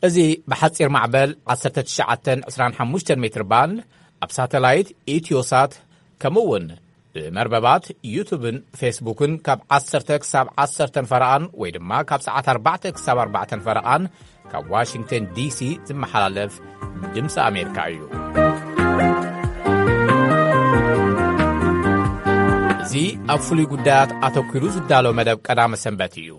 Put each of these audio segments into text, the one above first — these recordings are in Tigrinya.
እዚ ብሓጺር ማዕበል ዓሰርተ ትሽዓተ ዕስራን ሓሙሽተን ሜትር ባንድ ኣብ ሳተላይት ኢትዮሳት፣ ከምኡ እውን ብመርበባት ዩቱብን ፌስቡክን ካብ ዓሰርተ ክሳብ ዓሰርተ ፈረቓን ወይ ድማ ካብ ሰዓት ኣርባዕተ ክሳብ ኣርባዕተ ፈረቓን ካብ ዋሽንግተን ዲሲ ዝመሓላለፍ ድምፂ ኣሜሪካ እዩ። እዚ ኣብ ፍሉይ ጉዳያት ኣተኲሩ ዝዳሎ መደብ ቀዳመ ሰንበት እዩ።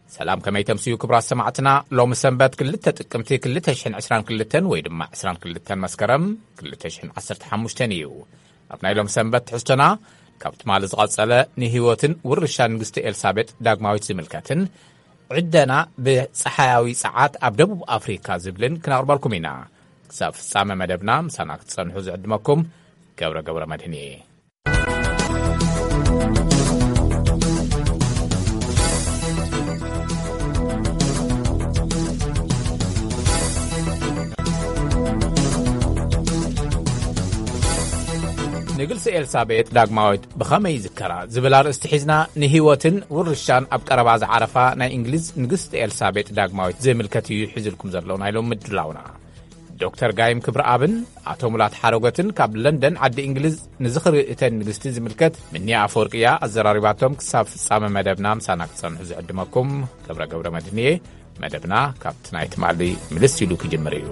ሰላም፣ ከመይ ተምስዩ ክቡራት ሰማዕትና? ሎሚ ሰንበት ክልተ ጥቅምቲ ክልተ ሽሕን ዕስራን ክልተን ወይ ድማ ዕስራን ክልተን መስከረም ክልተ ሽሕን ዓሰርተ ሓሙሽተን እዩ። ኣብ ናይ ሎም ሰንበት ትሕዝቶና ካብ ትማሊ ዝቐጸለ ንህይወትን ውርሻን ንግስቲ ኤልሳቤጥ ዳግማዊት ዝምልከትን ዕደና ብጸሓያዊ ጸዓት ኣብ ደቡብ ኣፍሪካ ዝብልን ክነቕርበልኩም ኢና። ክሳብ ፍጻመ መደብና ምሳና ክትጸንሑ ዝዕድመኩም ገብረ ገብረ መድህን እየ። ንግልሲ ኤልሳቤጥ ዳግማዊት ብኸመይ ይዝከራ ዝብል ኣርእስቲ ሒዝና ንህይወትን ውርሻን ኣብ ቀረባ ዝዓረፋ ናይ እንግሊዝ ንግስቲ ኤልሳቤጥ ዳግማዊት ዝምልከት እዩ ሒዝልኩም ዘሎ ናይ ሎም ምድላውና። ዶክተር ጋይም ክብረኣብን ኣቶ ሙላት ሓረጎትን ካብ ለንደን ዓዲ እንግሊዝ ንዝኽሪ እተን ንግስቲ ዝምልከት ምንያ ኣፈወርቅያ ኣዘራሪባቶም። ክሳብ ፍጻመ መደብና ምሳና ክጸንሑ ዝዕድመኩም ገብረ ገብረ መድንየ። መደብና ካብቲ ናይ ትማሊ ምልስ ኢሉ ክጅምር እዩ።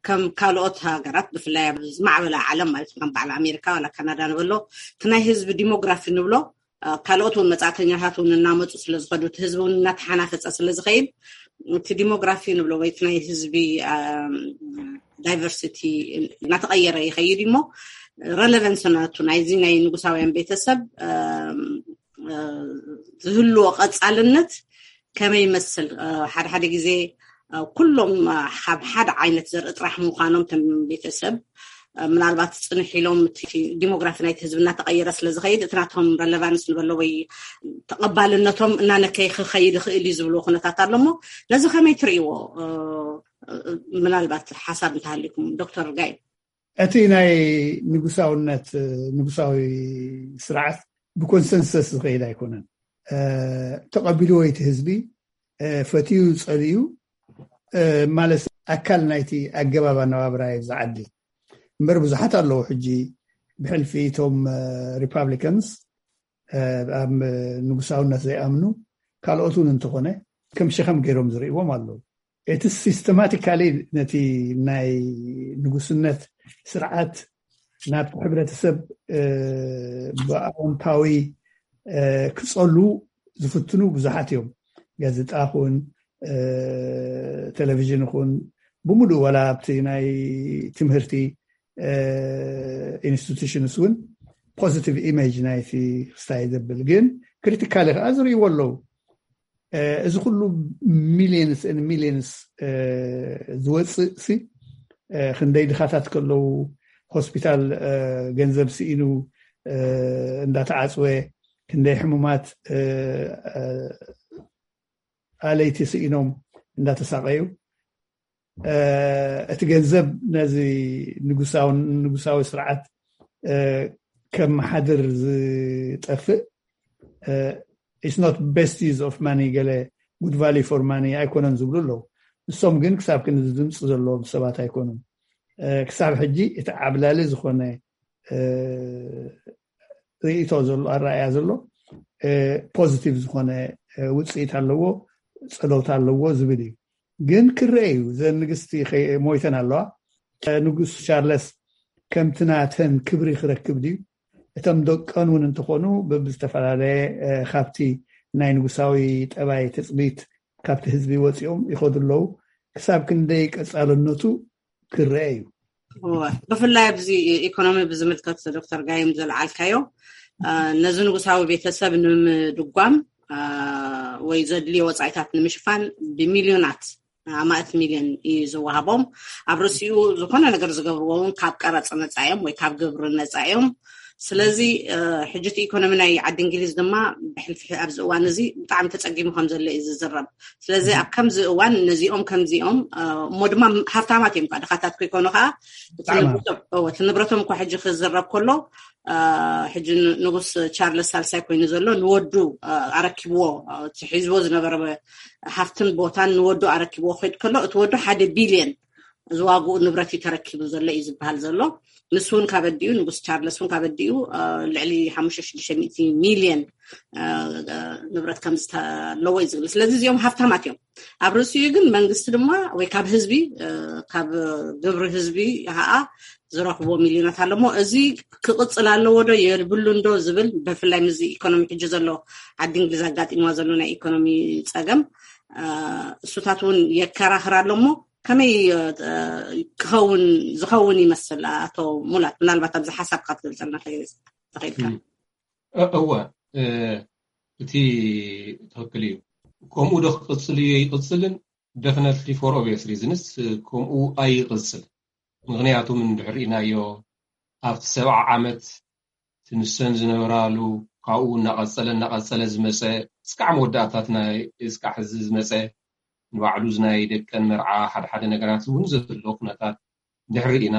ከም ካልኦት ሃገራት ብፍላይ ኣብ ዝማዕበላ ዓለም ማለት ከም በዓል ኣሜሪካ ዋላ ካናዳ ንበሎ እቲ ናይ ህዝቢ ዲሞግራፊ ንብሎ ካልኦት እውን መጻእተኛታት እውን እናመፁ ስለዝኸዱ እቲ ህዝቢ እውን እናተሓናፈፀ ስለዝኸይድ እቲ ዲሞግራፊ ንብሎ ወይ እቲ ናይ ህዝቢ ዳይቨርሲቲ እናተቐየረ ይኸይድ እሞ ረለቨንስ ናቱ ናይዚ ናይ ንጉሳውያን ቤተሰብ ዝህልዎ ቀፃልነት ከመይ ይመስል? ሓደ ሓደ ግዜ ኩሎም ካብ ሓደ ዓይነት ዘርኢ ጥራሕ ምዃኖም ተም ቤተሰብ ምናልባት ፅንሕ ኢሎም ዲሞግራፊ ናይቲ ህዝቢ እናተቐየረ ስለዝኸይድ እቲ ናቶም ረለቫንስ ንበሎ ወይ ተቐባልነቶም እናነከይ ክኸይድ ይኽእል እዩ ዝብልዎ ኩነታት ኣሎ እሞ ነዚ ከመይ ትርእይዎ? ምናልባት ሓሳብ እንተሃልኩም ዶክተር ጋይ። እቲ ናይ ንጉሳውነት ንጉሳዊ ስርዓት ብኮንሰንሰስ ዝኸይድ ኣይኮነን። ተቐቢልዎ እቲ ህዝቢ ፈትዩ ጸልዩ ማለት ኣካል ናይቲ ኣገባብ ኣነባብራ እዩ ዝዓዲ እምበር ብዙሓት ኣለዉ ሕጂ ብሕልፊ እቶም ሪፓብሊካንስ ኣብ ንጉሳውነት ዘይኣምኑ ካልኦት እውን እንተኾነ ከም ሸኸም ገይሮም ዝርእዎም ኣለዉ። እቲ ሲስተማቲካሊ ነቲ ናይ ንጉስነት ስርዓት ናብቲ ሕብረተሰብ ብኣወንታዊ ክጸሉ ዝፍትኑ ብዙሓት እዮም። ጋዜጣ ኹን ቴሌቪዥን ኹን ብምሉእ ዋላ ኣብቲ ናይ ትምህርቲ ኢንስቲቱሽንስ እውን ፖዚቲቭ ኢሜጅ ናይቲ ክስታይ ዘብል ግን ክሪቲካሊ ከዓ ዝርእይዎ ኣለዉ። እዚ ኩሉ ሚሊየንስ ሚሊየንስ ዝወፅእ ሲ ክንደይ ድኻታት ከለዉ ሆስፒታል ገንዘብ ስኢኑ እንዳተዓፅወ ክንደይ ሕሙማት ኣለይቲ ስኢኖም እንዳተሳቀዩ እቲ ገንዘብ ነዚ ንጉሳዊ ስርዓት ከመሓድር ዝጠፍእ it's not best use of money ገለ good value for money ኣይኮነን ዝብሉ ኣለዉ። ንሶም ግን ክሳብ ክንዲ ድምፂ ዘለዎም ሰባት ኣይኮኑን። ክሳብ ሕጂ እቲ ዓብላሊ ዝኾነ ርእቶ ዘሎ ኣረኣያ ዘሎ ፖዚቲቭ ዝኾነ ውፅኢት ኣለዎ፣ ፀለውታ ኣለዎ ዝብል እዩ። ግን ክረአ እዩ። ዘን ንግስቲ ሞይተን ኣለዋ። ንጉስ ቻርለስ ከምቲ ናተን ክብሪ ክረክብ ድዩ? እቶም ደቀን እውን እንተኾኑ በብዝተፈላለየ ካብቲ ናይ ንጉሳዊ ጠባይ ትፅቢት ካብቲ ህዝቢ ወፂኦም ይኸዱ ኣለዉ። ክሳብ ክንደይ ቀፃልነቱ ክረአ እዩ። ብፍላይ ኣብዚ ኢኮኖሚ ብዝምልከት ዶክተር ጋይም ዘልዓልካዮ ነዚ ንጉሳዊ ቤተሰብ ንምድጓም ወይ ዘድልዮ ወፃኢታት ንምሽፋን ብሚልዮናት ኣማእት ሚልዮን እዩ ዝወሃቦም። ኣብ ርእሲኡ ዝኾነ ነገር ዝገብርዎ እውን ካብ ቀረፅ ነፃ እዮም ወይ ካብ ግብሪ ነፃ እዮም። ስለዚ ሕጂ እቲ ኢኮኖሚ ናይ ዓዲ እንግሊዝ ድማ ብሕልፊ ኣብዚ እዋን እዚ ብጣዕሚ ተፀጊሙ ከም ዘሎ እዩ ዝዝረብ። ስለዚ ኣብ ከምዚ እዋን ነዚኦም ከምዚኦም እሞ ድማ ሃፍታማት እዮም፣ ድኻታት ኮይኮኑ ከዓ እቲ ንብረቶም እኳ ሕጂ ክዝረብ ከሎ ሕጂ ንጉስ ቻርለስ ሳልሳይ ኮይኑ ዘሎ ንወዱ ኣረኪብዎ፣ ሒዝዎ ዝነበረ ሃፍትን ቦታን ንወዱ ኣረኪብዎ ክድ ከሎ እቲ ወዱ ሓደ ቢልዮን ዝዋግኡ ንብረት እዩ ተረኪቡ ዘሎ እዩ ዝበሃል ዘሎ። ንሱ እውን ካበዲኡ ንጉስ ቻርለስ እውን ካበዲኡ ልዕሊ ሓሙሽተ ሽዱሽተ ሚእቲ ሚልዮን ንብረት ከም ዝተለዎ እዩ ዝብል። ስለዚ እዚኦም ሃፍታማት እዮም። ኣብ ርእሲኡ ግን መንግስቲ ድማ ወይ ካብ ህዝቢ ካብ ግብሪ ህዝቢ ከዓ ዝረክቦ ሚልዮናት ኣለሞ እዚ ክቅፅል ኣለዎ ዶ የብሉን ዶ ዝብል፣ ብፍላይ ምዚ ኢኮኖሚ ሕጂ ዘሎ ዓዲ እንግሊዝ ኣጋጢምዋ ዘሎ ናይ ኢኮኖሚ ፀገም እሱታት እውን የከራክር ኣለሞ ከመይ ክኸውን ዝኸውን ይመስል? ኣቶ ሙላት፣ ምናልባት ኣብዚ ሓሳብካ ክትገልፀልና ተኽኢልካ። እወ፣ እቲ ትኽክል እዩ። ከምኡ ዶ ክቅፅል እዩ ይቅፅልን? Definitely, for obvious reasons ከምኡ ኣይቅፅል። ምክንያቱ እንድሕር ኢናዮ ኣብቲ ሰብዓ ዓመት ትንሰን ዝነበራሉ ካብኡ እናቀፀለ እናቀፀለ ዝመፀ እስካዕ መወዳእታት ናይ እስካዕ ሕዚ ዝመፀ ንባዕሉ ናይ ደቀን መርዓ ሓደ ሓደ ነገራት እውን ዘሎ ኩነታት እንድሕር ኢና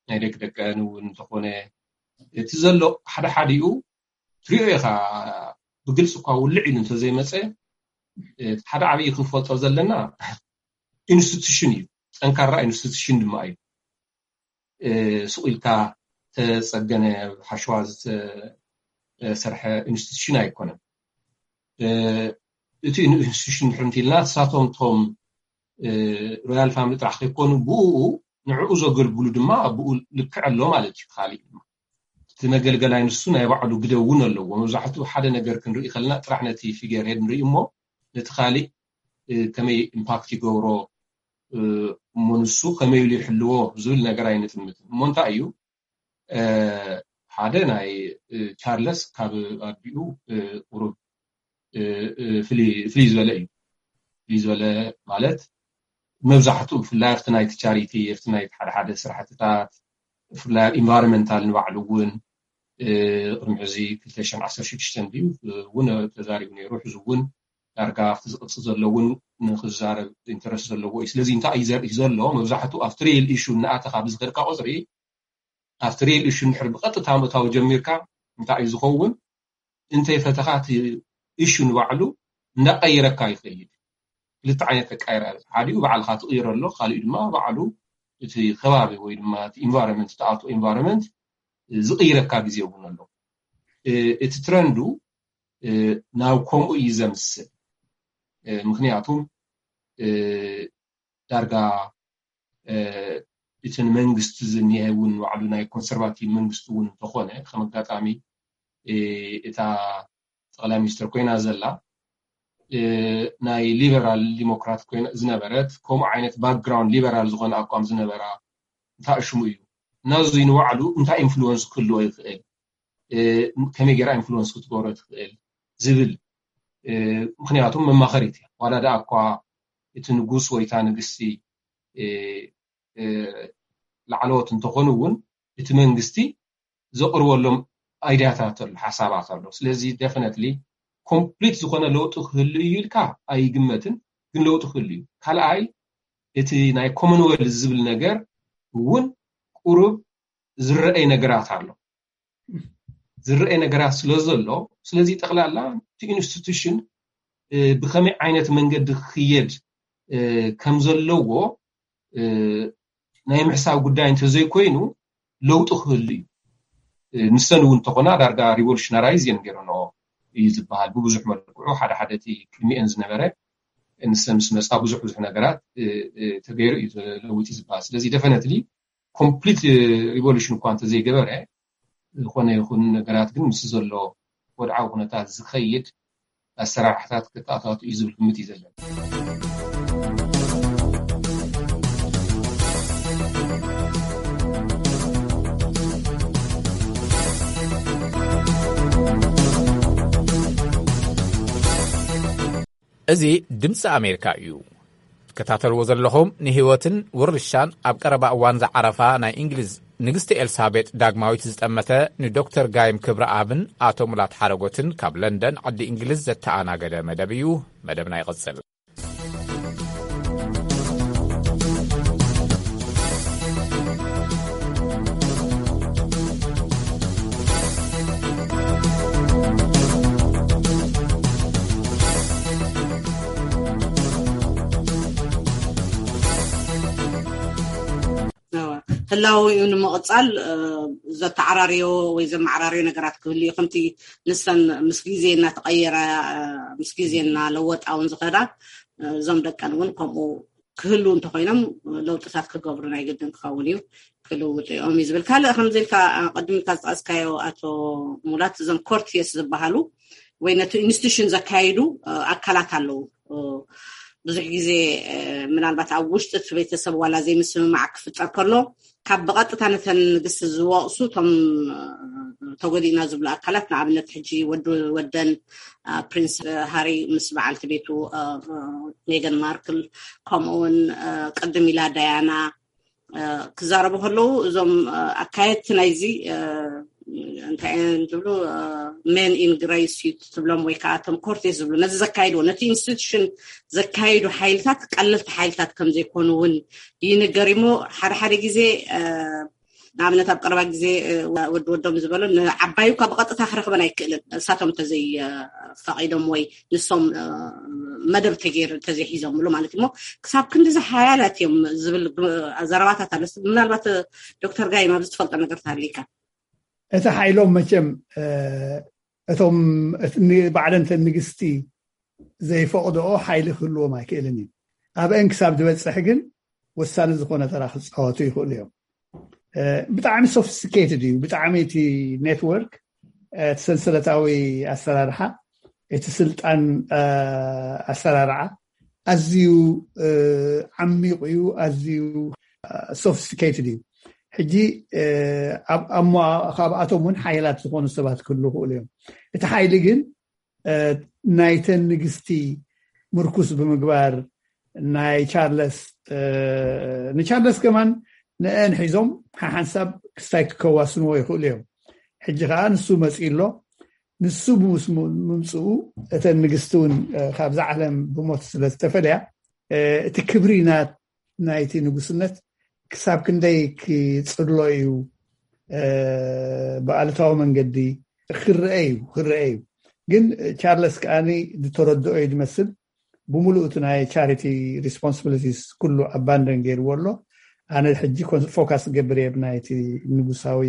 ናይ ደቂ ደቀን እውን እንተኾነ እቲ ዘሎ ሓደ ሓዲኡ ትሪኦ ኢኻ ብግልፂ እኳ ውልዕ ኢሉ እንተዘይመፀ ሓደ ዓብዪ ክንፈልጦ ዘለና ኢንስቲቱሽን እዩ። ጠንካራ ኢንስቲቱሽን ድማ እዩ። ስቕ ኢልካ ተፀገነ ሓሸዋ ዝተሰርሐ ኢንስቲቱሽን ኣይኮነን። እቲ ኢንስቲቱሽን ድሕር እንቲልና ሳቶም ቶም ሮያል ፋሚሊ ጥራሕ ከይኮኑ ብኡ ንዕኡ ዘገልግሉ ድማ ኣብኡ ልክዕ ኣሎ ማለት እዩ። ካሊእ ድማ እቲ መገልገላይ ንሱ ናይ ባዕሉ ግደ እውን ኣለዎ። መብዛሕትኡ ሓደ ነገር ክንርኢ ከለና ጥራሕ ነቲ ፊገር ሄድ ንርኢ እሞ ነቲ ካሊእ ከመይ ኢምፓክት ይገብሮ እሞ ንሱ ከመይ ኢሉ ይሕልዎ ዝብል ነገር ኣይንጥምትን እሞ እንታይ እዩ ሓደ ናይ ቻርለስ ካብ ኣዲኡ ቁሩብ ፍልይ ዝበለ እዩ። ፍልይ ዝበለ ማለት መብዛሕትኡ ብፍላይ ኣብቲ ናይቲ ቻሪቲ ኣብቲ ናይቲ ሓደ ሓደ ስራሕትታት ብፍላይ ኣብ ኢንቫይሮንመንታል ንባዕሉ እውን ቅድሚ ሕዚ ክልተ ሽሕን ዓሰርተ ሽዱሽተን ድዩ እውን ተዛሪቡ ነይሩ። ሕዚ እውን ዳርጋ ኣብቲ ዝቅፅል ዘሎ እውን ንክዛረብ ኢንተረስት ዘለዎ እዩ። ስለዚ እንታይ እዩ ዘርኢ ዘሎ መብዛሕትኡ ኣብቲ ሪል ኢሹ እናኣተኻ ብዝኸድካ ቁፅሪ ኣብቲ ሪል ኢሹ እንድሕር ብቐጥታ ምእታው ጀሚርካ እንታይ እዩ ዝኸውን? እንተይፈተኻ እቲ ኢሹ ንባዕሉ እንዳቀይረካ ይኸይድ። ክልተ ዓይነት ተቃይራ ሓዲኡ ባዕልካ ትቕይረሎ ካሊኡ ድማ ባዕሉ እቲ ከባቢ ወይ ድማ እቲ ኢንቫይሮንመንት ተኣቶ ኢንቫይሮንመንት ዝቕይረካ ግዜ እውን ኣሎ። እቲ ትረንዱ ናብ ከምኡ እዩ ዘምስል። ምክንያቱም ዳርጋ እቲ ንመንግስቲ ዝኒሀ እውን ባዕሉ ናይ ኮንሰርቫቲቭ መንግስቲ እውን እንተኾነ ከም ኣጋጣሚ እታ ጠቅላይ ሚኒስትር ኮይና ዘላ ናይ ሊበራል ዲሞክራት ኮይና ዝነበረት ከምኡ ዓይነት ባክግራውንድ ሊበራል ዝኾነ ኣቋም ዝነበራ እንታይ ሽሙ እዩ እና እዚ ንባዕሉ እንታይ ኢንፍሉወንስ ክህልዎ ይኽእል፣ ከመይ ገይራ ኢንፍሉወንስ ክትገብሮ ትኽእል ዝብል ምክንያቱም መማኸሪት እያ። ዋላ ደኣ እኳ እቲ ንጉስ ወይታ ንግስቲ ላዕለዎት እንተኾኑ እውን እቲ መንግስቲ ዘቕርበሎም ኣይድያታት ኣሎ ሓሳባት ኣሎ። ስለዚ ደፍነትሊ ኮምፕሊት ዝኾነ ለውጢ ክህሉ እዩ ኢልካ ኣይግመትን፣ ግን ለውጢ ክህሉ እዩ። ካልኣይ እቲ ናይ ኮመንወልዝ ዝብል ነገር እውን ቁሩብ ዝረአይ ነገራት ኣሎ። ዝረአይ ነገራት ስለ ዘሎ ስለዚ ጠቕላላ እቲ ኢንስቲቱሽን ብከመይ ዓይነት መንገዲ ክየድ ከም ዘለዎ ናይ ምሕሳብ ጉዳይ እንተዘይኮይኑ ለውጢ ክህሉ እዩ። ንሰን እውን እንተኾና ዳርጋ ሪቮሉሽነራይዝ እየን ገይረንኦ እዩ ዝበሃል ብብዙሕ መልክዑ ሓደ ሓደ እቲ ቅድሚአን ዝነበረ ንሰን ምስ መፃ ብዙሕ ብዙሕ ነገራት ተገይሩ እዩ ለውጢ ዝበሃል። ስለዚ ደፈነትሊ ኮምፕሊት ሪቮሉሽን እኳ እንተዘይገበረ ዝኾነ ይኹን ነገራት ግን ምስ ዘሎ ወድዓዊ ኩነታት ዝኸይድ ኣሰራርሕታት ክተኣታቱ እዩ ዝብል ግምት እዩ ዘለና። እዚ ድምፂ ኣሜሪካ እዩ። ትከታተልዎ ዘለኹም ንህይወትን ውርሻን ኣብ ቀረባ እዋን ዝዓረፋ ናይ እንግሊዝ ንግስቲ ኤልሳቤጥ ዳግማዊት ዝጠመተ ንዶክተር ጋይም ክብረኣብን ኣቶ ሙላት ሓረጎትን ካብ ለንደን ዓዲ እንግሊዝ ዘተኣናገደ መደብ እዩ። መደብና ይቕጽል። ህላወ እዩ ንምቕጻል ዘተዓራርዮ ወይ ዘመዓራርዮ ነገራት ክህሉ እዩ። ከምቲ ንሰን ምስ ግዜ እናተቐየራ ምስ ግዜ እናለወጣ እውን ዝኸዳ እዞም ደቀን እውን ከምኡ ክህሉ እንተኮይኖም ለውጥታት ክገብሩ ናይ ግድን ክኸውን እዩ። ክልውጡ እዮም እዩ ዝብል። ካልእ ከምዚ ኢልካ ቅድም ኢልካ ዝጠቀስካዮ ኣቶ ሙላት እዞም ኮርቲየስ ዝበሃሉ ወይ ነቲ ኢንስቲቱሽን ዘካይዱ ኣካላት ኣለዉ። ብዙሕ ግዜ ምናልባት ኣብ ውሽጢ እቲ ቤተሰብ ዋላ ዘይምስምማዕ ክፍጠር ከሎ ካብ ብቐጥታ ነተን ንግስቲ ዝወቕሱ እቶም ተጎዲእና ዝብሉ ኣካላት ንኣብነት ሕጂ ወዲ ወደን ፕሪንስ ሃሪ ምስ በዓልቲ ቤቱ ሜገን ማርክል ከምኡውን ቅድም ኢላ ዳያና ክዛረቡ ከለዉ እዞም ኣካየድቲ ናይዚ እንታይ እዮም ዝብሉ men in grey suit ትብሎም ወይ ከዓ እቶም ኮርቴስ ዝብሉ ነዚ ዘካይድዎ ነቲ ኢንስቲቱሽን ዘካይዱ ሓይልታት ቀለልቲ ሓይልታት ከም ዘይኮኑ እውን ይንገር እሞ ሓደ ሓደ ግዜ ንኣብነት ኣብ ቀረባ ግዜ ወዲ ወዶም ዝበሎ ንዓባዩ ካብ ቀጥታ ክረኽበን ኣይክእልን እሳቶም ተዘይ ፈቒዶም ወይ ንሶም መደብ ተገይሩ ተዘይሒዞምሉ ማለት እሞ ክሳብ ክንዲዚ ሓያላት እዮም ዝብል ዘረባታት ኣሎ። ምናልባት ዶክተር ጋይም ኣብዚ ትፈልጦ ነገር ተሃሊካ። እቲ ሓይሎም መቸም እቶም ባዕለን ንግስቲ ዘይፈቕድኦ ሓይሊ ክህልዎም ኣይክእልን እዩ። ኣብአን ክሳብ ዝበፅሕ ግን ወሳኒ ዝኾነ ተራ ክፃወቱ ይኽእሉ እዮም። ብጣዕሚ sophisticated እዩ። ብጣዕሚ እቲ ኔትወርክ እቲ ሰንሰለታዊ ኣሰራርሓ እቲ ስልጣን ኣሰራርዓ ኣዝዩ ዓሚቕ እዩ፣ ኣዝዩ sophisticated እዩ። ሕጂ ካብኣቶም እውን ሓይላት ዝኾኑ ሰባት ክህሉ ይኽእሉ እዮም። እቲ ሓይሊ ግን ናይተን ንግስቲ ምርኩስ ብምግባር ናይ ቻርለስ ንቻርለስ ከማን ንአን ሒዞም ሓሓንሳብ ክስታይ ክከዋስንዎ ይኽእሉ እዮም። ሕጂ ከዓ ንሱ መፂኡ ኣሎ። ንሱ ብምምፅኡ እተን ንግስቲ እውን ካብዛ ዓለም ብሞት ስለ ዝተፈለያ እቲ ክብሪ ናይቲ ንጉስነት ክሳብ ክንደይ ክፅሎ እዩ ብኣሉታዊ መንገዲ ክረአ እዩ ክረአ እዩ። ግን ቻርለስ ከዓኒ ዝተረድኦ እዩ ዝመስል። ብምሉእ እቲ ናይ charity responsibilities ኩሉ abandon ገይርዎ ኣሎ። ኣነ ሕጂ focus ገብር እየ ብናይቲ ንጉሳዊ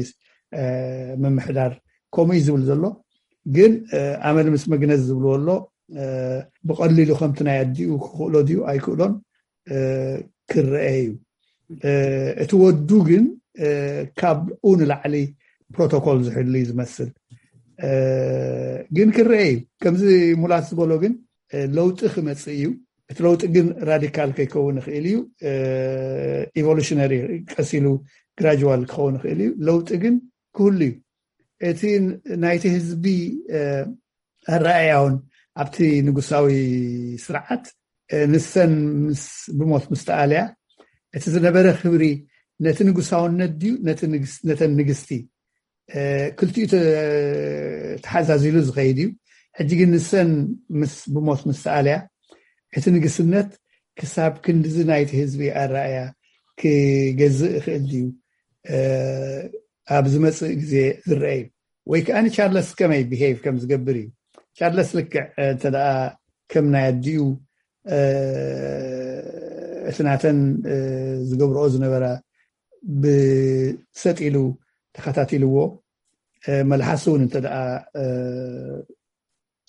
ምምሕዳር ከምኡ እዩ ዝብል ዘሎ። ግን ኣመል ምስ መግነዝ ዝብልዎ ኣሎ። ብቐሊሉ ከምቲ ናይ ኣዲኡ ክኽእሎ ድዩ ኣይክእሎን ክረአ እዩ። እቲ ወዱ ግን ካብኡ ንላዕሊ ፕሮቶኮል ዝሕሉ እዩ ዝመስል። ግን ክረአ እዩ። ከምዚ ሙላት ዝበሎ ግን ለውጢ ክመፅእ እዩ። እቲ ለውጢ ግን ራዲካል ከይከውን ይኽእል እዩ። ኢቮሉሽነሪ ቀስ ኢሉ ግራጅዋል ክኸውን ይኽእል እዩ። ለውጢ ግን ክህሉ እዩ። እቲ ናይቲ ህዝቢ ኣረኣእያ እውን ኣብቲ ንጉሳዊ ስርዓት ንሰን ምስ ብሞት ምስ ተኣልያ እቲ ዝነበረ ክብሪ ነቲ ንጉሳውነት ድዩ ነተን ንግስቲ ክልቲኡ ተሓዛዚሉ ዝኸይድ እዩ። ሕጂ ግን ንሰን ምስ ብሞት ምስ ተኣልያ እቲ ንግስነት ክሳብ ክንድዚ ናይቲ ህዝቢ ኣረኣእያ ክገዝእ ይኽእል ድዩ ኣብ ዝመፅእ ግዜ ዝረአ እዩ። ወይ ከዓ ንቻርለስ ከመይ ቢሄቭ ከም ዝገብር እዩ። ቻርለስ ልክዕ እንተ ከም ናይ ኣዲኡ እቲ ናተን ዝገብርኦ ዝነበራ ብሰጥ ኢሉ ተኸታቲልዎ መልሓሱ እውን እንተ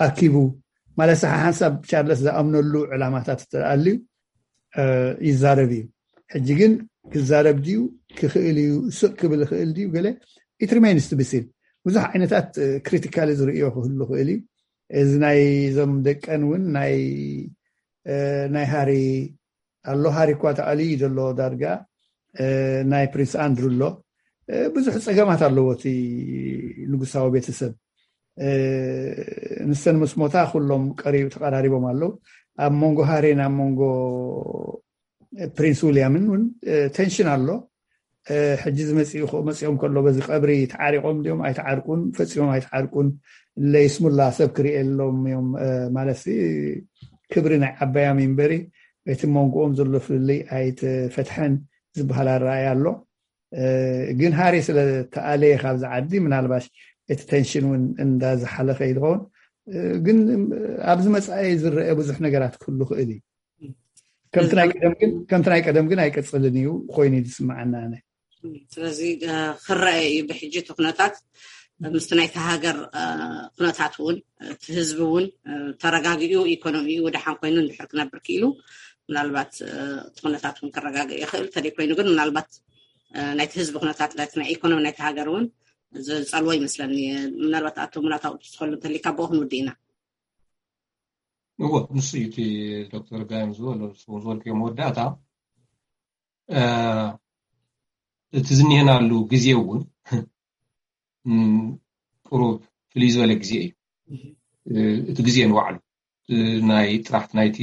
ኣኪቡ ማለት ሓሓንሳብ ቻርለስ ዝኣምነሉ ዕላማታት ተኣልዩ ይዛረብ እዩ። ሕጂ ግን ክዛረብ ድዩ ክኽእል እዩ ስቅ ክብል ይኽእል ድዩ ገለ it remains to be seen። ብዙሕ ዓይነታት ክሪቲካሊ ዝርእዮ ክህሉ ክእል እዩ። እዚ ናይ እዞም ደቀን እውን ናይ ናይ ሃሪ ኣሎ ሃሪ እኳ ተኣልዩ እዩ ዘሎ ዳርጋ ናይ ፕሪንስ ኣንድሩ ኣሎ ብዙሕ ፀገማት ኣለዎ እቲ ንጉሳዊ ቤተሰብ። ንሰን ምስ ሞታ ኩሎም ቀሪብ ተቐራሪቦም ኣለዉ። ኣብ መንጎ ሃሪን ኣብ መንጎ ፕሪንስ ዊልያምን እውን ቴንሽን ኣሎ። ሕጂ ዝመፅኡ መፂኦም ከሎ በዚ ቀብሪ ተዓሪቆም ድዮም ኣይተዓርቁን? ፈፂሞም ኣይተዓርቁን? ለይስሙላ ሰብ ክርእየሎም እዮም ማለት ክብሪ ናይ ዓባያም እምበሪ እቲ መንጎኦም ዘሎ ፍልልይ ኣይተፈትሐን ዝበሃል ኣረኣያ ኣሎ። ግን ሃሪ ስለ ተኣለየ ካብዚ ዓዲ ምናልባሽ እቲ ተንሽን እውን እንዳዝሓለፈ ይኸውን። ግን ኣብዚ መፃኢ ዝረአ ብዙሕ ነገራት ክህሉ ክእል እዩ። ከምቲ ናይ ቀደም ግን ኣይቀፅልን እዩ ኮይኑ ዝስምዓና ኣነ። ስለዚ ክረአ እዩ ብሕጂ እቲ ኩነታት ምስቲ ናይቲ ሃገር ኩነታት እውን እቲ ህዝቢ እውን ተረጋጊኡ ኢኮኖሚኡ ደሓን ኮይኑ እንድሕር ክነብር ክኢሉ ምናልባት እቲ ኩነታት እውን ክረጋግእ ይኽእል። እንተደይ ኮይኑ ግን ምናልባት ናይቲ ህዝቢ ኩነታት ናይቲ ናይ ኢኮኖሚ ናይቲ ሃገር እውን ዝፀልዎ ይመስለኒ። ምናልባት ኣቶ ሙላት ኣውጥቶ ትኸሉ እንተሊካ ብኡ ክንውድእ ኢና። እዎ ንሱ እዩ እቲ ዶክተር ጋይም ዝበሎ ዝበልክዮ መወዳእታ እቲ ዝኒሀናሉ ግዜ እውን ቁሩብ ፍልይ ዝበለ ግዜ እዩ። እቲ ግዜ ንባዕሉ ናይ ጥራሕ ናይቲ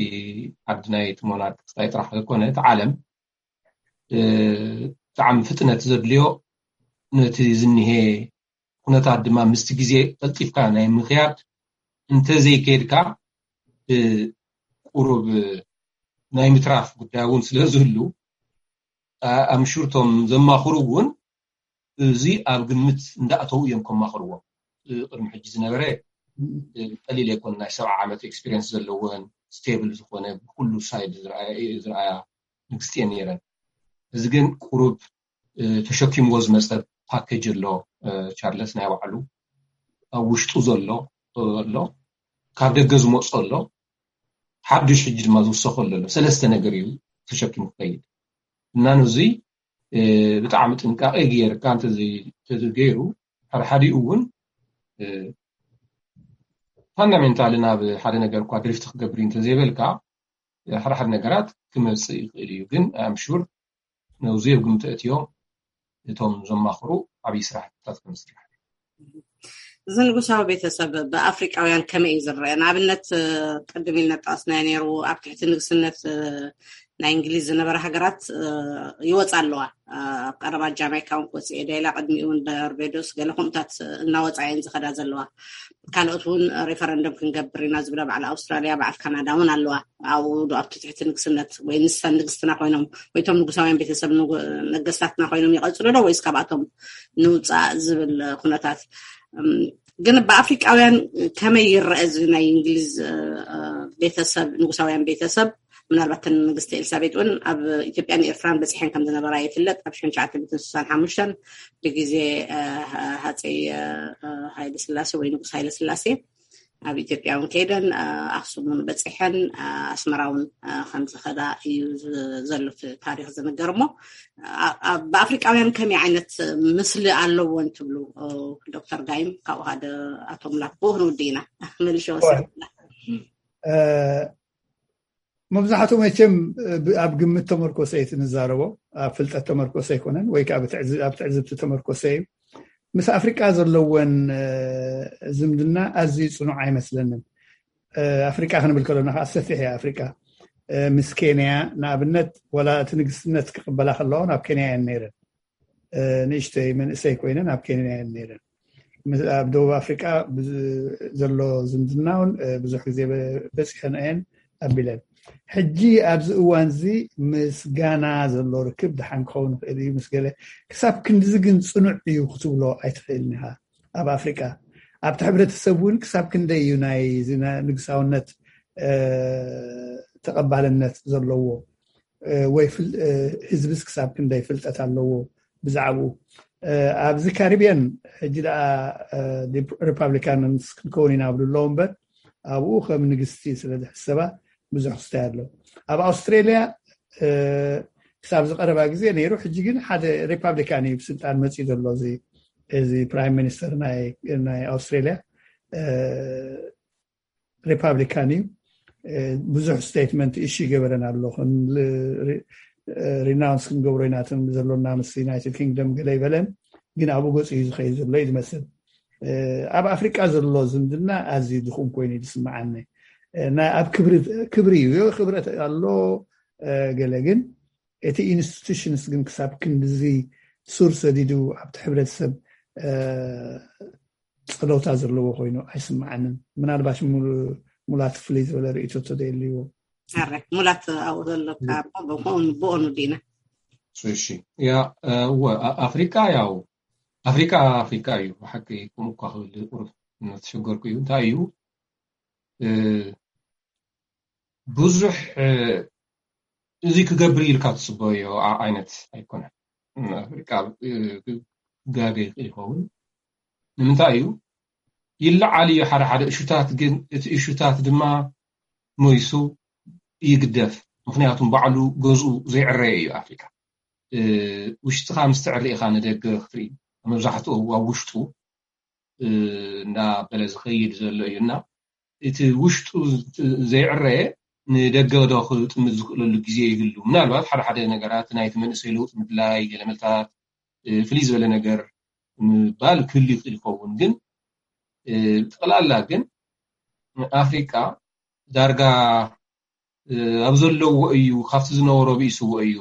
ዓዲ ናይ ሞናርክ ጥራሕ ኣይኮነ እቲ ዓለም ብጣዕሚ ፍጥነት ዘድልዮ ነቲ ዝኒሄ ኩነታት ድማ ምስቲ ግዜ ቀልጢፍካ ናይ ምክያድ እንተዘይከድካ ቁሩብ ናይ ምትራፍ ጉዳይ እውን ስለ ዝህሉ ኣምሹርቶም ዘማኽሩ እውን እዚ ኣብ ግምት እንዳእተው እዮም ከማኽርዎም። ቅድሚ ሕጂ ዝነበረ ቀሊል ኣይኮን ናይ ሰብዓ ዓመት ኤክስፒሪንስ ዘለወን ስቴብል ዝኾነ ብኩሉ ሳይድ ዝረኣያ ንግስቲ እየን ነይረን። እዚ ግን ቁሩብ ተሸኪምዎ ዝመፀ ፓኬጅ ኣሎ። ቻርለስ ናይ ባዕሉ ኣብ ውሽጡ ዘሎ ኣሎ፣ ካብ ደገ ዝመፁ ኣሎ፣ ሓዱሽ ሕጂ ድማ ዝውሰኮ ኣሎ። ሰለስተ ነገር እዩ ተሸኪሙ ክኸይድ እና ነዙይ ብጣዕሚ ጥንቃቄ ገይርካ እንተዘይተገይሩ ሓደሓዲኡ እውን ፋንዳሜንታል ናብ ሓደ ነገር እኳ ድሪፍት ክገብር እንተዘይበልካ ሓደሓደ ነገራት ክመፅእ ይኽእል እዩ። ግን ኣምሹር ነውዚ ኣብ ግምት እትዮም እቶም ዘማኽሩ ዓብዪ ስራሕትታት ከምስራሕ እዚ ንጉሳዊ ቤተሰብ ብኣፍሪቃውያን ከመይ እዩ ዝረአ? ንኣብነት ቅድም ኢልና ጠቀስናዮ ነይሩ ኣብ ትሕቲ ንግስነት ናይ እንግሊዝ ዝነበረ ሃገራት ይወፃ ኣለዋ። ኣብ ቀረባ ጃማይካ እውን ክወፅእ እየ ደላ ቅድሚኡ እውን በርቤዶስ ገለ ከምኡታት እናወፃ እየን ዝኸዳ ዘለዋ። ካልኦት እውን ሬፈረንደም ክንገብር ኢና ዝብላ በዓል ኣውስትራሊያ በዓል ካናዳ እውን ኣለዋ። ኣብኡ ዶ ኣብቲ ትሕቲ ንግስነት ወይ ንሰን ንግስትና ኮይኖም ወይ እቶም ንጉሳውያን ቤተሰብ ነገስታትና ኮይኖም ይቐፅሉ ዶ ወይስ ካብኣቶም ንውፃእ ዝብል ኩነታት ግን ብኣፍሪቃውያን ከመይ ይረአ እዚ ናይ እንግሊዝ ቤተሰብ ንጉሳውያን ቤተሰብ? ምናልባት ንግስቲ ኤልሳቤጥ እውን ኣብ ኢትዮጵያን ኤርትራን በፂሐን ከም ዝነበራ ይፍለጥ። ኣብ ሽሕን ትሽዓተ ሚእትን ስሳን ሓሙሽተን ብግዜ ሃፀይ ሃይለ ስላሴ ወይ ንጉስ ሃይለ ስላሴ ኣብ ኢትዮጵያ እውን ከይደን ኣክሱም እውን በፂሐን ኣስመራ እውን ከም ዝኸዳ እዩ ዘሎ ታሪክ ዝንገር። እሞ ብኣፍሪቃውያን ከመይ ዓይነት ምስሊ ኣለዎን ትብሉ ዶክተር ጋይም? ካብኡ ሓደ ኣቶ ሙላት ብኡ ክንውድእ ኢና። መልሽ ወስላ መብዛሕትኡ መቸም ኣብ ግምት ተመርኮሰ እዩ ንዛረቦ፣ ኣብ ፍልጠት ተመርኮሰ ኣይኮነን ወይ ከዓ ኣብ ትዕዝብቲ ተመርኮሰ እዩ። ምስ ኣፍሪቃ ዘለወን ዝምድና ኣዝዩ ፅኑዕ ኣይመስለንን። ኣፍሪቃ ክንብል ከለና ከዓ ሰፊሕ እያ ኣፍሪቃ። ምስ ኬንያ ንኣብነት ወላ እቲ ንግስትነት ክቕበላ ከለዋ ናብ ኬንያ እየን ነይረን። ንእሽተይ መንእሰይ ኮይነን ኣብ ኬንያ እየን ነይረን። ኣብ ደቡብ ኣፍሪቃ ዘሎ ዝምድና እውን ብዙሕ ግዜ በፂሐን እየን ኣቢለን። ሕጂ ኣብዚ እዋን እዚ ምስ ጋና ዘሎ ርክብ ደሓን ክኸውን ይኽእል እዩ ምስ ገለ። ክሳብ ክንድዚ ግን ፅኑዕ እዩ ክትብሎ ኣይትኽእልን ኢኻ። ኣብ ኣፍሪቃ ኣብቲ ሕብረተሰብ እውን ክሳብ ክንደይ እዩ ናይ ንግሳውነት ተቐባልነት ዘለዎ ወይ ህዝብስ ክሳብ ክንደይ ፍልጠት ኣለዎ ብዛዕባኡ? ኣብዚ ካሪብያን ሕጂ ደኣ ሪፓብሊካንስ ክንከውን ኢና ብሉ ኣለዉ እምበር ኣብኡ ከም ንግስቲ ስለ ዝሕሰባ ብዙሕ ክስታይ ኣሎ። ኣብ ኣውስትሬልያ ክሳብ ዝቀረባ ግዜ ነይሩ። ሕጂ ግን ሓደ ሪፓብሊካን እዩ ብስልጣን መፅኡ ዘሎ እዚ ፕራይም ሚኒስተር ናይ ኣውስትሬልያ ሪፓብሊካን እዩ። ብዙሕ ስቴትመንት እሺ ይገበረን ኣሎ። ሪናውንስ ክንገብሮ ኢና እቶም ዘሎና ምስ ዩናይትድ ኪንግደም ገለ ይበለን፣ ግን ኣብኡ ገፁ እዩ ዝኸይድ ዘሎ እዩ ዝመስል። ኣብ ኣፍሪቃ ዘሎ ዝምድና ኣዝዩ ድኹም ኮይኑ እዩ ዝስምዓኒ። ኣብ ክብሪ እዩ ክብረት ኣሎ ገለ፣ ግን እቲ ኢንስቲቱሽንስ ግን ክሳብ ክንድዚ ሱር ሰዲዱ ኣብቲ ሕብረተሰብ ጸለውታ ዘለዎ ኮይኑ ኣይስምዓንን። ምናልባሽ ሙላት ፍልይ ዝበለ ርእይቶ ተደልይዎ። ሙላት ኣብኡ ዘሎ ብኦኑ ዲና እሺ። ያ እወ ኣፍሪካ ያው ኣፍሪካ ኣፍሪካ እዩ። ብሓቂ ከምኡ እኳ ክብል ቁሩብ እናተሸገርኩ እዩ። እንታይ እዩ ብዙሕ እዚ ክገብር ኢልካ ትፅበዮ ዓይነት ኣይኮነን። ኣፍሪካ ክጋገ ይኽእል ይኸውን። ንምንታይ እዩ ይለዓል እዩ ሓደ ሓደ እሹታት፣ ግን እቲ እሹታት ድማ ሞይሱ ይግደፍ። ምክንያቱም ባዕሉ ገዝኡ ዘይዕረየ እዩ ኣፍሪካ። ውሽጥኻ ምስ ትዕሪ ኢኻ ንደገ ክትርኢ። መብዛሕትኡ ኣብ ውሽጡ እንዳበለ ዝኸይድ ዘሎ እዩ እና እቲ ውሽጡ ዘይዕረየ ንደገ ዶ ክጥምት ዝኽእለሉ ግዜ ይህሉ። ምናልባት ሓደ ሓደ ነገራት ናይቲ መንእሰይ ለውጢ ምድላይ፣ ገለመልታት ፍልይ ዝበለ ነገር ምባል ክህሉ ይኽእል ይኸውን። ግን ብጠቕላላ ግን ኣፍሪቃ ዳርጋ ኣብ ዘለዎ እዩ፣ ካብቲ ዝነበሮ ብኢስዎ እዩ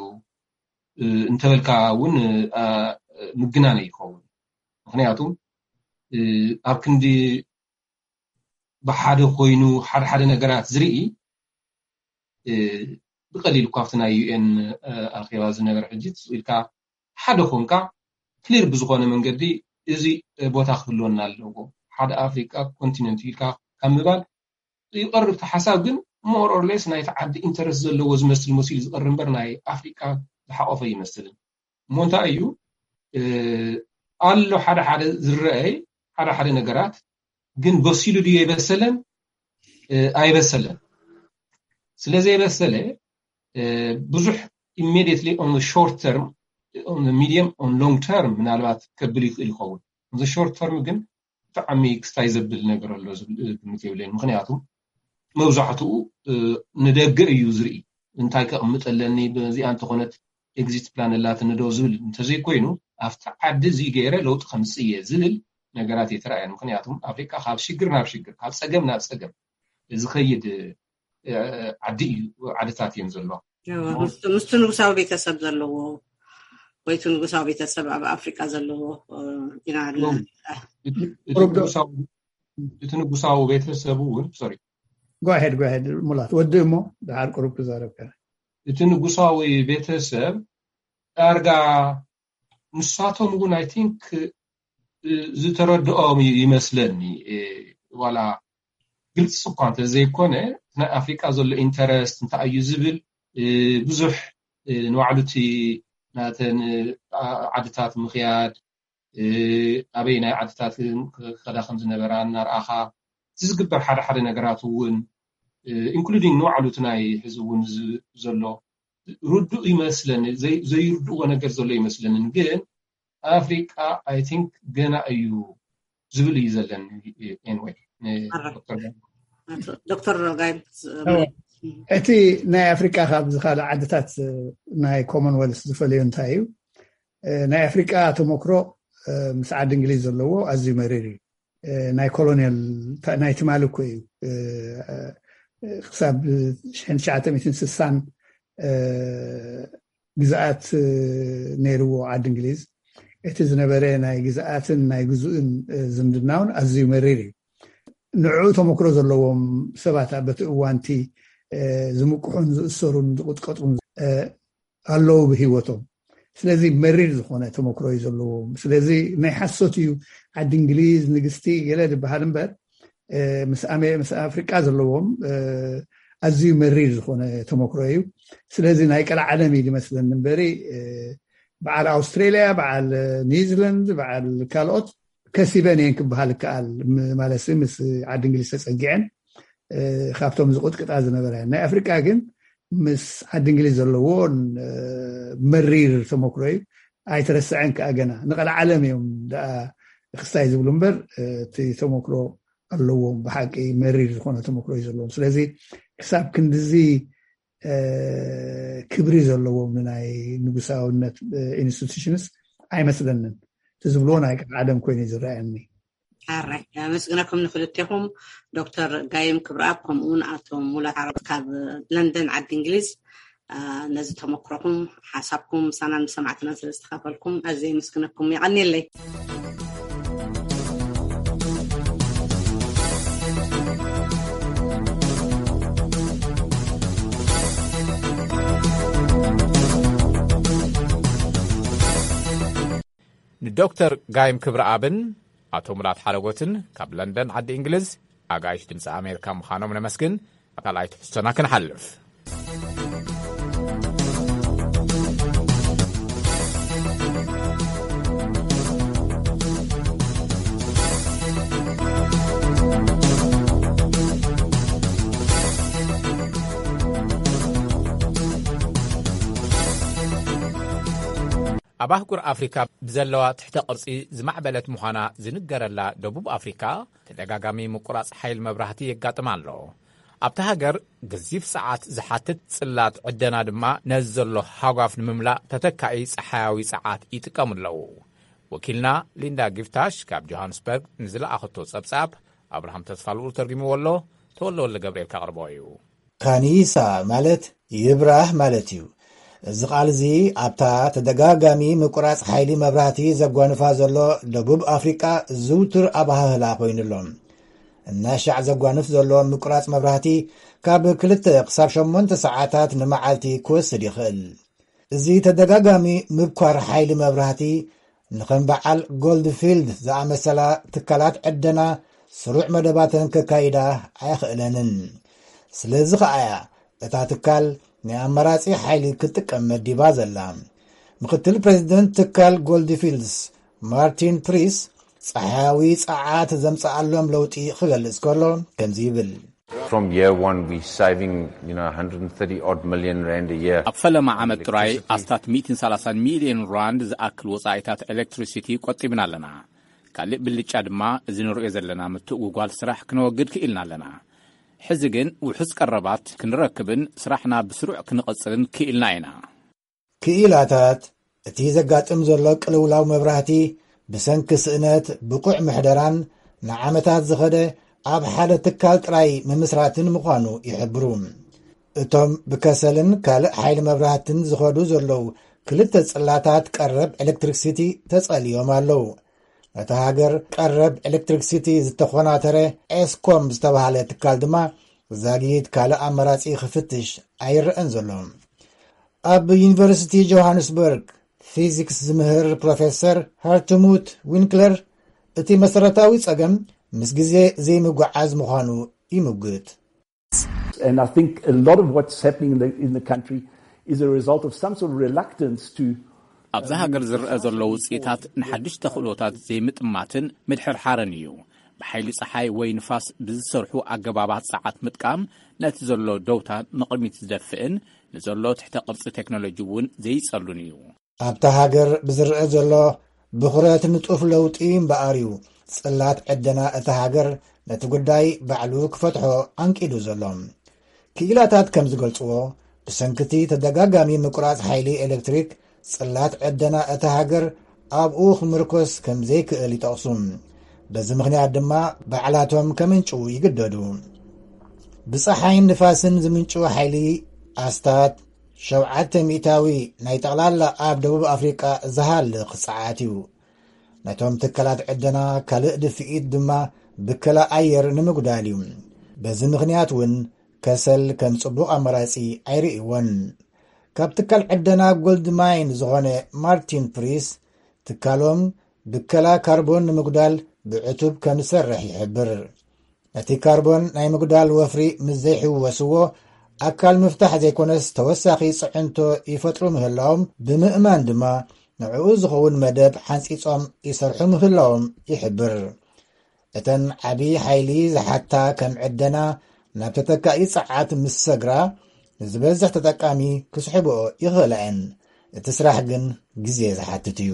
እንተበልካ እውን ምግናነ ይኸውን። ምክንያቱ ኣብ ክንዲ ብሓደ ኮይኑ ሓደ ሓደ ነገራት ዝርኢ ብቀሊል እኳ ኣብቲ ናይ ዩኤን ኣኼባ ዝነበረ ሕጂ ኢልካ ሓደ ኮንካ ክሊር ብዝኾነ መንገዲ እዚ ቦታ ክህልወና ኣለዎ፣ ሓደ ኣፍሪቃ ኮንቲነንት ኢልካ ካብ ምባል ይቐርብ እቲ ሓሳብ። ግን more or less ናይቲ ዓዲ ኢንተረስት ዘለዎ ዝመስል መሲሉ ዝቐርብ እምበር ናይ ኣፍሪቃ ዝሓቆፈ ይመስልን። እሞ እንታይ እዩ ኣሎ ሓደ ሓደ ዝረአይ ሓደ ሓደ ነገራት ግን በሲሉ ድዩ የበሰለን ኣይበሰለን። ስለዘይበሰለ ብዙሕ immediately on short term, on medium, on long term ምናልባት ከብል ይኽእል ይኸውን። እዚ short term ግን ብጣዕሚ ክስታይ ዘብል ነገር ኣሎ ዝብል ግምት የብለይን። ምክንያቱ መብዛሕትኡ ንደገ እዩ ዝርኢ። እንታይ ከቕምጥ ኣለኒ፣ በዚኣ እንተኾነት ኤግዚት ፕላን ኣላትኒ ዶ ዝብል እንተዘይኮይኑ ኣብቲ ዓዲ እዚ ገይረ ለውጢ ከምፅእ እየ ዝብል ነገራት እየተረኣየን። ምክንያቱም ኣፍሪቃ ካብ ሽግር ናብ ሽግር ካብ ፀገም ናብ ፀገም ዝኸይድ ዓዲ እዩ፣ ዓድታት እየን ዘለዋ። ምስቲ ንጉሳዊ ቤተሰብ ዘለዎ ወይ እቲ ንጉሳዊ ቤተሰብ ኣብ ኣፍሪቃ ዘለዎ ኢና እቲ ንጉሳዊ ቤተሰብ እውን ሶሪ ጓሄድ ጓሄድ ሙላት ወዲ እሞ ድሓር ቁሩብ ክዛረብ ከ እቲ ንጉሳዊ ቤተሰብ ዳርጋ ንሳቶም እውን ኣይ ቲንክ ዝተረድኦም ይመስለኒ። ዋላ ግልፂ እኳ እንተዘይኮነ ናይ ኣፍሪቃ ዘሎ ኢንተረስት እንታይ እዩ ዝብል ብዙሕ ንባዕሉ እቲ ናተን ዓድታት ምኽያድ ኣበይ ናይ ዓድታት ከዳ ከም ዝነበራ እናርኣኻ እቲ ዝግበር ሓደ ሓደ ነገራት እውን ኢንክሉዲንግ ንባዕሉ እቲ ናይ ሕዚ እውን ዘሎ ርዱእ ይመስለኒ። ዘይርድእዎ ነገር ዘሎ ይመስለንን ግን ኣፍሪቃ ኣይ ቲንክ ገና እዩ ዝብል እዩ ዘለኒ። ኤንወይ ዶክተር ሮጋይ እቲ ናይ ኣፍሪቃ ካብዚ ካልእ ዓድታት ናይ ኮመንወልስ ዝፈልዮ እንታይ እዩ? ናይ ኣፍሪቃ ተመክሮ ምስ ዓዲ እንግሊዝ ዘለዎ ኣዝዩ መሪር እዩ። ናይ ኮሎኒያል ናይ ትማሊ እኮ እዩ። ክሳብ ሽሕን ትሽዓተ ሚእትን ስሳን ግዝኣት ነይርዎ ዓዲ እንግሊዝ። እቲ ዝነበረ ናይ ግዝኣትን ናይ ግዙእን ዝምድናውን ኣዝዩ መሪር እዩ። ንዕኡ ተመክሮ ዘለዎም ሰባት በቲ እዋንቲ ዝምቅሑን ዝእሰሩን ዝቁጥቀጡን ኣለዉ ብህይወቶም። ስለዚ መሪር ዝኾነ ተመክሮ እዩ ዘለዎም። ስለዚ ናይ ሓሶት እዩ ዓዲ እንግሊዝ ንግስቲ ገለ ዝበሃል እምበር ምስ ኣፍሪቃ ዘለዎም ኣዝዩ መሪር ዝኾነ ተመክሮ እዩ። ስለዚ ናይ ቀልዓለም እዩ ዝመስለኒ እምበሪ በዓል ኣውስትሬልያ፣ በዓል ኒውዚላንድ፣ በዓል ካልኦት ከሲበን እየን ክበሃል ይከኣል። ማለት ምስ ዓዲ እንግሊዝ ተፀጊዐን ካብቶም ዝቁጥቅጣ ዝነበረ። ናይ ኣፍሪቃ ግን ምስ ዓዲ እንግሊዝ ዘለዎ መሪር ተመክሮ እዩ። ኣይተረስዐን ከዓ ገና ንቐልዓለም እዮም ደኣ ክስታይ ዝብሉ እምበር እቲ ተመክሮ ኣለዎም። ብሓቂ መሪር ዝኾነ ተመክሮ እዩ ዘለዎም። ስለዚ ክሳብ ክንድዚ ክብሪ ዘለዎም ንናይ ንጉሳውነት ኢንስቲቱሽንስ ኣይመስለንን። እቲ ዝብልዎ ናይ ቀልዓለም ኮይኑ እዩ ዝረኣየኒ። ኣራይ ኣመስግነኩም ንክልቴኹም ዶክተር ጋይም ክብረኣብ ከምኡውን ኣቶ ሙላት ዓረብ ካብ ለንደን ዓዲ እንግሊዝ። ነዚ ተመክሮኹም፣ ሓሳብኩም ምሳናን ምስ ሰማዕትና ስለ ዝተኻፈልኩም ኣዝየ የመስግነኩም። የቐንየለይ። ንዶክተር ጋይም ክብረኣብን ኣቶ ሙላት ሓረጎትን ካብ ለንደን ዓዲ እንግሊዝ ኣጋይሽ ድምፂ ኣሜሪካ ምዃኖም ነመስግን። ኣብ ካልኣይ ትሕዝቶና ክንሓልፍ። ኣብ ኣህጉር ኣፍሪካ ብዘለዋ ትሕተ ቅርጺ ዝማዕበለት ምዃና ዝንገረላ ደቡብ ኣፍሪካ፣ ተደጋጋሚ ምቁራጽ ሓይሊ መብራህቲ የጋጥማ ኣሎ። ኣብታ ሃገር፣ ገዚፍ ጸዓት ዝሓትት ጽላት ዕደና ድማ ነዚ ዘሎ ሃጓፍ ንምምላእ ተተካኢ ጸሓያዊ ጸዓት ይጥቀሙ ኣለዉ። ወኪልና ሊንዳ ጊፍታሽ ካብ ጆሃንስበርግ ንዝለኣኸቶ ጸብጻብ፣ ኣብርሃም ተስፋልኡል ተርጉምዎ ኣሎ። ተወልደ ወልደ ገብርኤል ከቕርቦ እዩ። ካኒሳ ማለት ይብራህ ማለት እዩ። እዚ ቃል እዚ ኣብታ ተደጋጋሚ ምቁራጽ ሓይሊ መብራህቲ ዘጓንፋ ዘሎ ደቡብ ኣፍሪቃ ዝውቱር ኣባሃህላ ኮይኑ ኣሎ። እናሻዕ ዘጓንፍ ዘሎ ምቁራጽ መብራህቲ ካብ ክልተ ክሳብ ሸሞንተ ሰዓታት ንመዓልቲ ክወስድ ይኽእል። እዚ ተደጋጋሚ ምብኳር ሓይሊ መብራህቲ ንኸም በዓል ጎልድፊልድ ዝኣመሰላ ትካላት ዕደና ስሩዕ መደባተን ከካይዳ ኣየኽእለንን። ስለዚ ኸኣ እያ እታ ትካል ናይ ኣማራጺ ሓይሊ ክትጥቀም መዲባ ዘላ። ምክትል ፕሬዚደንት ትካል ጎልድፊልድስ ማርቲን ፕሪስ ጸሓያዊ ጸዓት ዘምጽኣሎም ለውጢ ክገልጽ ከሎ ከምዚ ይብል። From year one, we're saving, you know, one hundred thirty odd million rand a year. ኣብ ፈለማ ዓመት ጥራይ ኣስታት ሚእትን ሰላሳን ሚልዮን ራንድ ዝኣክል ወጻኢታት ኤሌክትሪሲቲ ቆጢብና ኣለና። ካልእ ብልጫ ድማ፣ እዚ ንርእዮ ዘለና ምትእጉጓል ስራሕ ክነወግድ ክኢልና ኣለና። ሕዚ ግን ውሑስ ቀረባት ክንረክብን ስራሕና ብስሩዕ ክንቕጽልን ክኢልና ኢና። ክኢላታት፣ እቲ ዘጋጥም ዘሎ ቅልውላው መብራህቲ ብሰንኪ ስእነት ብቑዕ ምሕደራን ንዓመታት ዝኸደ ኣብ ሓደ ትካል ጥራይ ምምስራትን ምዃኑ ይሕብሩ። እቶም ብከሰልን ካልእ ሓይሊ መብራህትን ዝኸዱ ዘለዉ ክልተ ጽላታት ቀረብ ኤሌክትሪክሲቲ ተጸልዮም ኣለዉ። ነታ ሃገር ቀረብ ኤሌክትሪክሲቲ ዝተኾናተረ ኤስኮም ዝተባህለ ትካል ድማ ዛጊት ካልእ ኣማራጺ ክፍትሽ ኣይረኣን ዘሎ። ኣብ ዩኒቨርሲቲ ጆሃንስበርግ ፊዚክስ ዝምህር ፕሮፌሰር ሃርትሙት ዊንክለር፣ እቲ መሰረታዊ ጸገም ምስ ግዜ ዘይምጉዓዝ ምዃኑ ይምጉት። And I think a lot of what's happening in the, in the country is a result of some sort of reluctance to ኣብዛ ሃገር ዝረአ ዘሎ ውፅኢታት ንሓድሽ ተኽእሎታት ዘይምጥማትን ምድሕርሓርን እዩ። ብሓይሊ ፀሓይ ወይ ንፋስ ብዝሰርሑ ኣገባባት ፀዓት ምጥቃም ነቲ ዘሎ ደውታ ንቕድሚት ዝደፍእን ንዘሎ ትሕተ ቅርፂ ቴክኖሎጂ እውን ዘይፀሉን እዩ። ኣብታ ሃገር ብዝረአ ዘሎ ብኹረት ንጡፍ ለውጢ እምበኣር እዩ ፅላት ዕደና እታ ሃገር ነቲ ጉዳይ ባዕሉ ክፈትሖ ኣንቂዱ ዘሎ። ክኢላታት ከም ዝገልፅዎ፣ ብሰንክቲ ተደጋጋሚ ምቁራፅ ሓይሊ ኤሌክትሪክ፣ ፅላት ዕደና እታ ሃገር ኣብኡ ክምርኮስ ከም ዘይክእል ይጠቕሱ። በዚ ምኽንያት ድማ ባዕላቶም ከምንጭዉ ይግደዱ። ብፀሓይን ንፋስን ዝምንጭዉ ሓይሊ ኣስታት ሸውዓተ ሚእታዊ ናይ ጠቕላላ ኣብ ደቡብ ኣፍሪቃ ዝሃልኽ ፀዓት እዩ። ነቶም ትካላት ዕደና ካልእ ድፍኢት ድማ ብከላ ኣየር ንምጉዳል እዩ። በዚ ምኽንያት እውን ከሰል ከም ጽቡቕ ኣማራጺ ኣይርእይዎን። ካብ ትካል ዕደና ጎልድ ማይን ዝኾነ ማርቲን ፕሪስ፣ ትካሎም ብከላ ካርቦን ንምጉዳል ብዕቱብ ከም ዝሰርሕ ይሕብር። ነቲ ካርቦን ናይ ምጉዳል ወፍሪ ምስ ዘይሕወስዎ፣ ኣካል ምፍታሕ ዘይኮነስ ተወሳኺ ጽዕንቶ ይፈጥሩ ምህላዎም ብምእማን ድማ፣ ንዕኡ ዝኸውን መደብ ሓንጺጾም ይሰርሑ ምህላዎም ይሕብር። እተን ዓቢ ሓይሊ ዝሓታ ከም ዕደና ናብ ተተካኢ ጸዓት ምስ ሰግራ፣ ንዝበዝሕ ተጠቃሚ ክስሕብኦ ይኽእላ እየን። እቲ ስራሕ ግን ግዜ ዝሓትት እዩ።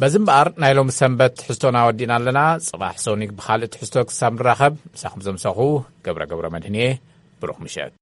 በዚ እምበኣር ናይ ሎሚ ሰንበት ትሕዝቶና ወዲእና ኣለና። ጽባሕ ሶኒክ ብኻልእ ትሕዝቶ ክሳብ ንራኸብ፣ ምሳኹም ዘምሰኹ ገብረ ገብረ መድህን እየ። ብሩኽ ምሸት።